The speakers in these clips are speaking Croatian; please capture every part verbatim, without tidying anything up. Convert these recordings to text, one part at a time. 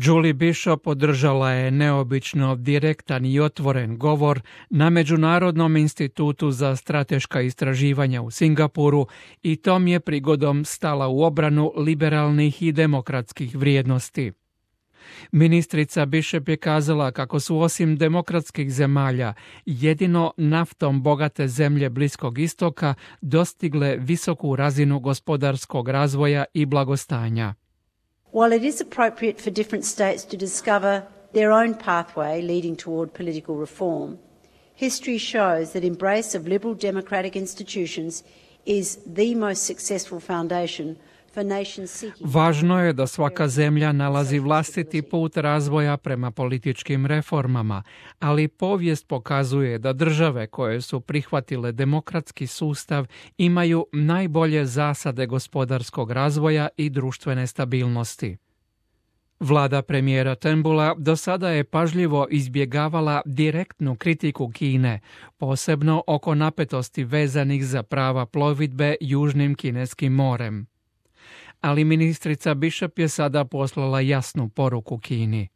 Julie Bishop održala je neobično direktan i otvoren govor na Međunarodnom institutu za strateška istraživanja u Singapuru i tom je prigodom stala u obranu liberalnih i demokratskih vrijednosti. Ministrica Bishop je kazala kako su osim demokratskih zemalja jedino naftom bogate zemlje Bliskog istoka dostigle visoku razinu gospodarskog razvoja i blagostanja. While it is appropriate for different states to discover their own pathway leading toward political reform, history shows that embrace of liberal democratic institutions is the most successful foundation for nations seeking. Važno je da svaka zemlja nalazi vlastiti put razvoja prema političkim reformama, ali povijest pokazuje da države koje su prihvatile demokratski sustav imaju najbolje zasade gospodarskog razvoja i društvene stabilnosti. Vlada premijera Turnbulla do sada je pažljivo izbjegavala direktnu kritiku Kine, posebno oko napetosti vezanih za prava plovidbe Južnim kineskim morem. Ali ministrica Bishop je sada poslala jasnu poruku Kini.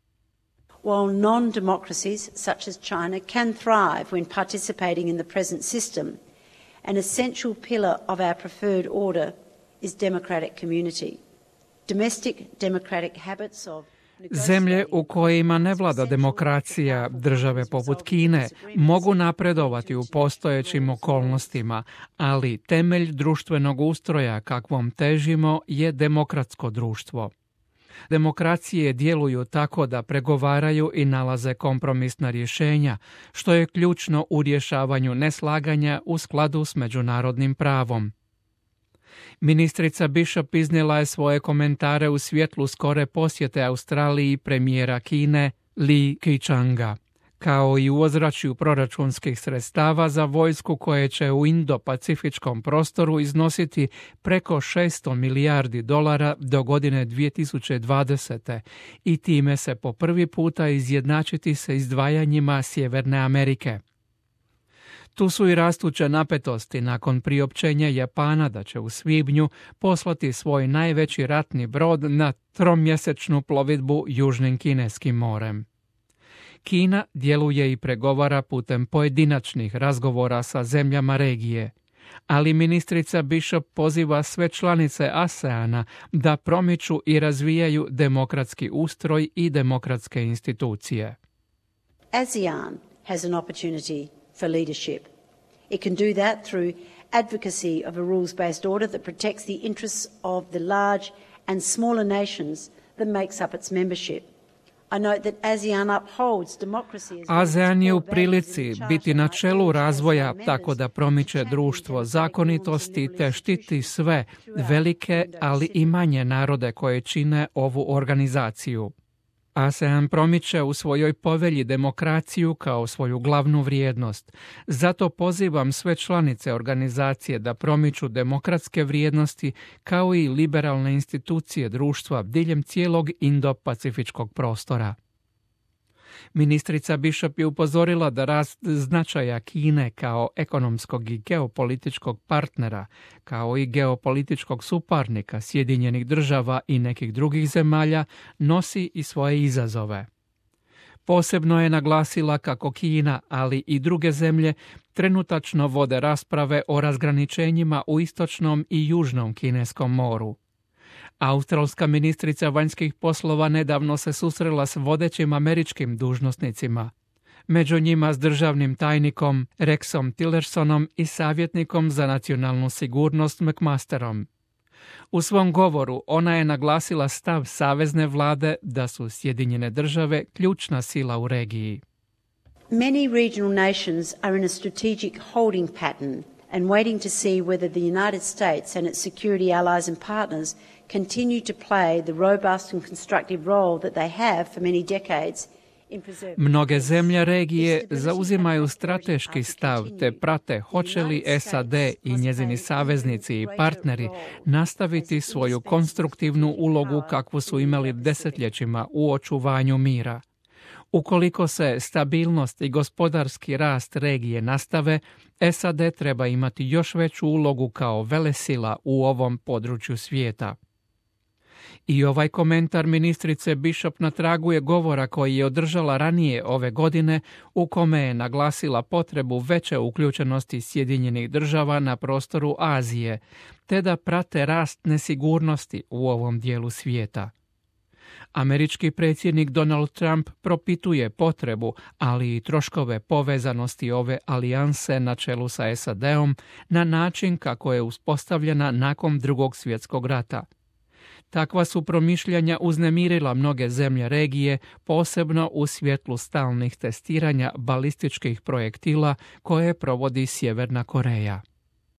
While non-democracies such as China can thrive when participating in the present system, an essential pillar of our preferred order is democratic community. Domestic democratic habits of Zemlje u kojima ne vlada demokracija, države poput Kine, mogu napredovati u postojećim okolnostima, ali temelj društvenog ustroja kakvom težimo je demokratsko društvo. Demokracije djeluju tako da pregovaraju i nalaze kompromisna rješenja, što je ključno u rješavanju neslaganja u skladu s međunarodnim pravom. Ministrica Bishop iznijela je svoje komentare u svjetlu skore posjete Australiji premijera Kine Li Keqianga, kao i u ozračju proračunskih sredstava za vojsku koje će u Indo-Pacifičkom prostoru iznositi preko šesto milijardi dolara do godine dvije tisuće dvadesete i time se po prvi puta izjednačiti sa izdvajanjima Sjeverne Amerike. Tu su i rastuće napetosti nakon priopćenja Japana da će u svibnju poslati svoj najveći ratni brod na tromjesečnu plovidbu Južnim kineskim morem. Kina djeluje i pregovara putem pojedinačnih razgovora sa zemljama regije, ali ministrica Bishop poziva sve članice ASEANA da promiču i razvijaju demokratski ustroj i demokratske institucije. ASEAN has an opportunity for leadership. It can do that through advocacy of a rules-based order that protects the interests of the large and smaller nations that makes up its membership. I note that ASEAN upholds democracy as ASEAN je u prilici biti na čelu razvoja tako da promiče društvo zakonitosti te štiti sve velike, ali i manje narode koje čine ovu organizaciju. ASEAN promiče u svojoj povelji demokraciju kao svoju glavnu vrijednost. Zato pozivam sve članice organizacije da promiču demokratske vrijednosti kao i liberalne institucije društva diljem cijelog Indo-Pacifičkog prostora. Ministrica Bishop je upozorila da rast značaja Kine kao ekonomskog i geopolitičkog partnera, kao i geopolitičkog suparnika Sjedinjenih država i nekih drugih zemalja, nosi i svoje izazove. Posebno je naglasila kako Kina, ali i druge zemlje, trenutačno vode rasprave o razgraničenjima u istočnom i južnom kineskom moru. Australska ministrica vanjskih poslova nedavno se susrela s vodećim američkim dužnosnicima, među njima s državnim tajnikom Rexom Tillersonom i savjetnikom za nacionalnu sigurnost McMasterom. U svom govoru ona je naglasila stav savezne vlade da su Sjedinjene države ključna sila u regiji. Many regional nations are in a strategic holding pattern and waiting to see whether the United States and its security allies and partners continue to play the robust and constructive role that they have for many decades in preserving. Mnoge zemlje regije zauzimaju strateški stav te prate hoće li S A D i njezini saveznici i partneri nastaviti svoju konstruktivnu ulogu kakvu su imali desetljećima u očuvanju mira. Ukoliko se stabilnost i gospodarski rast regije nastave, S A D treba imati još veću ulogu kao velesila u ovom području svijeta. I ovaj komentar ministrice Bishop na tragu je govora koji je održala ranije ove godine, u kome je naglasila potrebu veće uključenosti Sjedinjenih država na prostoru Azije, te da prate rast nesigurnosti u ovom dijelu svijeta. Američki predsjednik Donald Trump propituje potrebu, ali i troškove povezanosti ove alijanse na čelu sa S A D-om na način kako je uspostavljena nakon Drugog svjetskog rata. Takva su promišljanja uznemirila mnoge zemlje regije, posebno u svjetlu stalnih testiranja balističkih projektila koje provodi Sjeverna Koreja.